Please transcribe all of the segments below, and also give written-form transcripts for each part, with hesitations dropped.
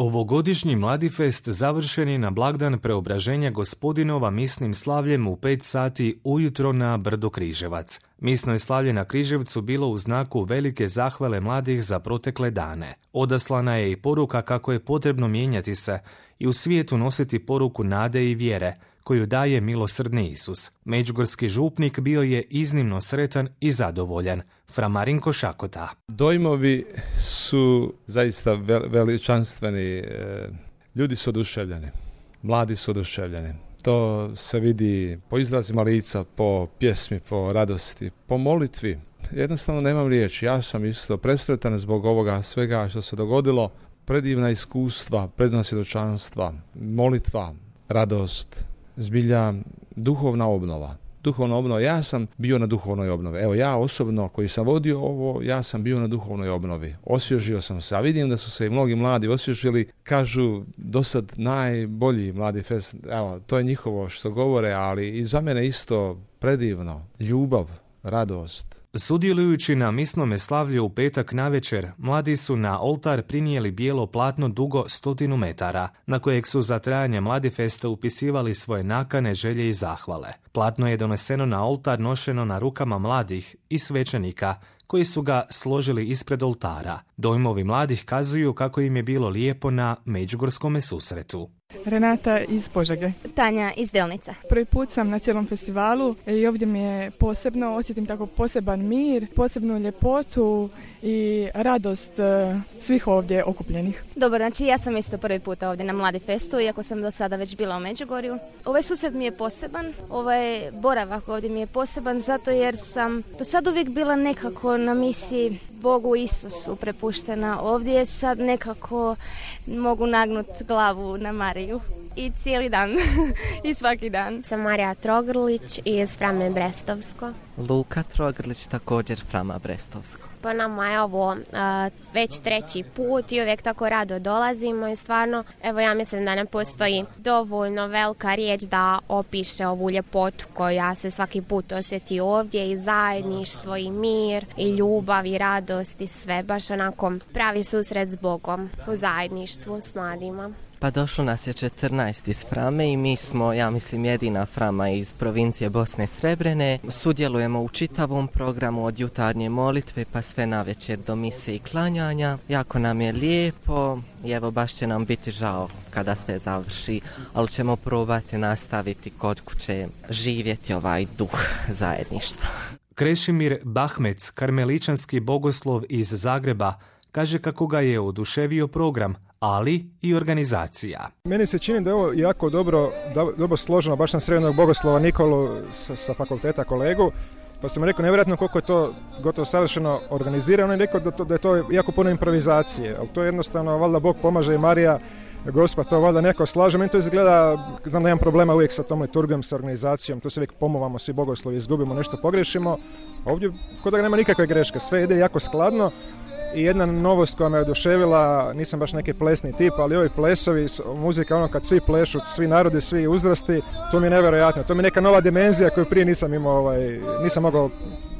Ovogodišnji Mladifest završen je na blagdan Preobraženja Gospodinova misnim slavljem u 5 sati ujutro na brdu Križevac. Misno je slavlje na Križevcu bilo u znaku velike zahvale mladih za protekle dane. Odaslana je i poruka kako je potrebno mijenjati se i u svijetu nositi poruku nade i vjere, koju daje milosrdni Isus. Međugorski župnik bio je iznimno sretan i zadovoljan. Fra Marinko Šakota. Dojmovi su zaista veličanstveni. Ljudi su oduševljeni. Mladi su oduševljeni. To se vidi po izrazima lica, po pjesmi, po radosti, po molitvi. Jednostavno nemam riječi. Ja sam isto presretan zbog ovoga svega što se dogodilo. Predivna iskustva, predivna svjedočanstva, molitva, radost, zbilja duhovna obnova. Duhovna obnova, ja sam bio na duhovnoj obnovi. Evo, ja osobno koji sam vodio ovo, ja sam bio na duhovnoj obnovi. Osvježio sam se, a vidim da su se i mnogi mladi osvježili. Kažu, do sad najbolji mladi fest, evo, to je njihovo što govore, ali i za mene isto predivno. Ljubav, radost. Sudjelujući na misnome slavlju u petak navečer, mladi su na oltar prinijeli bijelo platno dugo 100 metara, na kojeg su za trajanje Mladifesta upisivali svoje nakane, želje i zahvale. Platno je doneseno na oltar nošeno na rukama mladih i svećenika, koji su ga složili ispred oltara. Dojmovi mladih kazuju kako im je bilo lijepo na međugorskome susretu. Renata iz Požege. Tanja iz Delnica. Prvi put sam na cijelom festivalu i ovdje mi je posebno, osjetim tako poseban mir, posebnu ljepotu i radost svih ovdje okupljenih. Dobro, znači ja sam isto prvi puta ovdje na Mladifestu, iako sam do sada već bila u Međugorju. Ovaj susret mi je poseban, ovaj boravak ovdje mi je poseban zato jer sam do sad uvijek bila nekako na misiji Bogu Isusu prepuštena. Ovdje sad nekako mogu nagnuti glavu na Mariju. I cijeli dan, i svaki dan. Sam Marija Trogrlić iz Frame Brestovsko. Luka Trogrlić, također Frama Brestovsko. Po nama je ovo već 3. put i uvijek tako rado dolazimo i stvarno, evo ja mislim da ne postoji dovoljno velika riječ da opiše ovu ljepotu koja se svaki put osjeti ovdje i zajedništvo i mir i ljubav i radost i sve, baš onako pravi susret s Bogom u zajedništvu s mladima. Pa došlo nas je 14 iz Frame i mi smo, ja mislim, jedina Frama iz provincije Bosne i Srebrene. Sudjelujemo u čitavom programu od jutarnje molitve pa sve navečer do mise i klanjanja. Jako nam je lijepo i evo baš će nam biti žao kada sve završi, ali ćemo probati nastaviti kod kuće živjeti ovaj duh zajedništva. Krešimir Bahmec, karmeličanski bogoslov iz Zagreba, kaže kako ga je oduševio program, ali i organizacija. Meni se čini da je ovo jako dobro složeno, baš sam srednjeg bogoslova Nikolu sa fakulteta kolegu, pa sam rekao nevjerojatno koliko je to gotovo savršeno organizirano i rekao da je to jako puno improvizacije, ali to je jednostavno, valjda Bog pomaže i Marija, Gospa to valjda neko slaže. Meni to izgleda, znam da imam problema uvijek sa tom liturgijom, sa organizacijom, to se uvijek pomuvamo, svi bogoslovi, izgubimo, nešto pogrešimo. Ovdje kod da nema nikakve greške, sve ide jako skladno. I jedna novost koja me oduševila, nisam baš neki plesni tip, ali ovi plesovi, muzika, ono kad svi plešu, svi narodi, svi uzrasti, to mi je nevjerojatno. To mi je neka nova dimenzija koju prije nisam imao, nisam mogao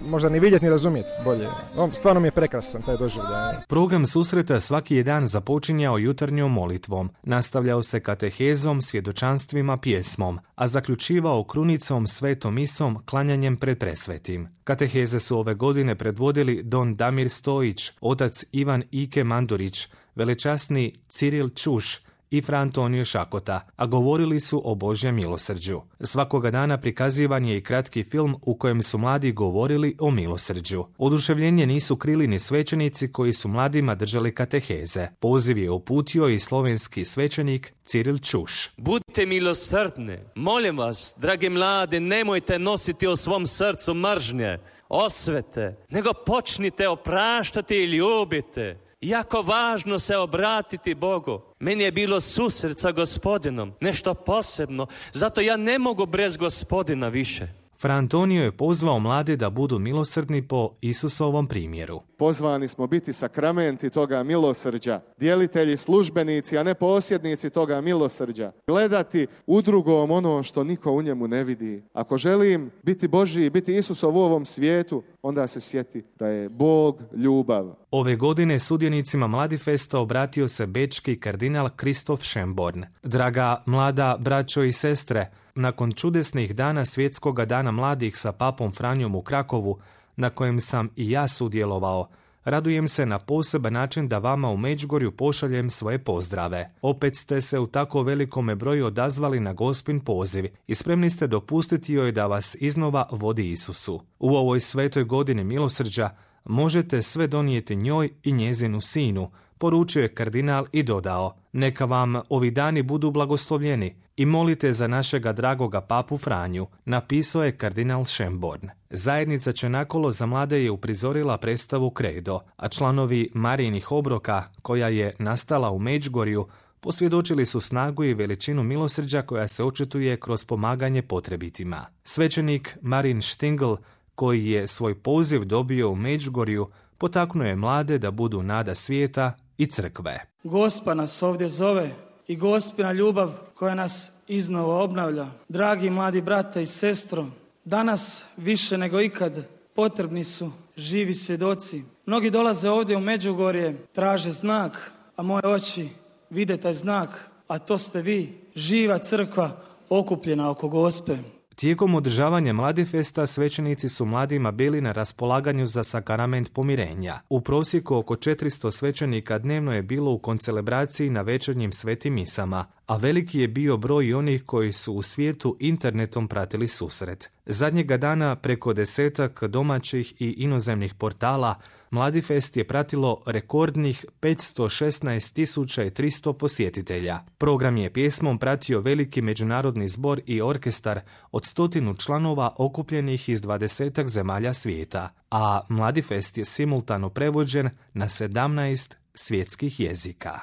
možda ni vidjeti ni razumjeti bolje. Stvarno mi je prekrasan taj doživljaj. Program susreta svaki je dan započinjao jutarnjom molitvom, nastavljao se katehezom, svjedočanstvima, pjesmom, a zaključivao krunicom, svetom misom, klanjanjem pred presvetim. Kateheze su ove godine predvodili don Damir Stojić, otac Ivan Ike Mandurić, velečasni Ciril Čuš i Fra Antonio Šakota, a govorili su o Božjem milosrđu. Svakoga dana prikazivan je i kratki film u kojem su mladi govorili o milosrđu. Oduševljenje nisu krili ni svećenici koji su mladima držali kateheze. Poziv je uputio i slovenski svećenik Ciril Čuš. Budite milosrdni, molim vas, dragi mladi, nemojte nositi u svom srcu mržnje, osvete, nego počnite opraštati i ljubite. Jako važno se obratiti Bogu. Meni je bilo susret sa Gospodinom, nešto posebno, zato ja ne mogu bez Gospodina više. Fra Antonio je pozvao mlade da budu milosrdni po Isusovom primjeru. Pozvani smo biti sakramenti toga milosrđa, djelitelji, službenici, a ne posjednici toga milosrđa. Gledati u drugom ono što niko u njemu ne vidi. Ako želim biti Božji, biti Isusov u ovom svijetu, onda se sjeti da je Bog ljubav. Ove godine sudionicima Mladifesta obratio se bečki kardinal Kristof Schönborn. Draga mlada braćo i sestre, nakon čudesnih dana Svjetskoga dana mladih sa papom Franjom u Krakovu, na kojem sam i ja sudjelovao, radujem se na poseban način da vama u Međugorju pošaljem svoje pozdrave. Opet ste se u tako velikome broju odazvali na Gospin poziv i spremni ste dopustiti joj da vas iznova vodi Isusu. U ovoj svetoj godini milosrđa možete sve donijeti njoj i njezinu sinu, poručio je kardinal i dodao: neka vam ovi dani budu blagoslovljeni i molite za našega dragoga papu Franju, napisao je kardinal Schönborn. Zajednica Čenakolo za mlade je uprizorila predstavu Kredo, a članovi Marijinih obroka, koja je nastala u Međugorju, posvjedočili su snagu i veličinu milosrđa koja se očituje kroz pomaganje potrebitima. Svećenik Marin Štingl, koji je svoj poziv dobio u Međugorju, potaknuo je mlade da budu nada svijeta i crkve. Gospa nas ovdje zove i Gospina ljubav koja nas iznova obnavlja. Dragi mladi brate i sestro, danas više nego ikad potrebni su živi svjedoci. Mnogi dolaze ovdje u Međugorje, traže znak, a moje oči vide taj znak, a to ste vi, živa crkva okupljena oko Gospe. Tijekom održavanja Mladifesta svećenici su mladima bili na raspolaganju za sakrament pomirenja. U prosjeku oko 400 svećenika dnevno je bilo u koncelebraciji na večernjim svetim misama, a veliki je bio broj onih koji su u svijetu internetom pratili susret. Zadnjega dana preko 10 domaćih i inozemnih portala Mladifest je pratilo rekordnih 516.300 posjetitelja. Program je pjesmom pratio veliki međunarodni zbor i orkestar od 100 članova okupljenih iz 20 zemalja svijeta, a Mladifest je simultano prevođen na 17 svjetskih jezika.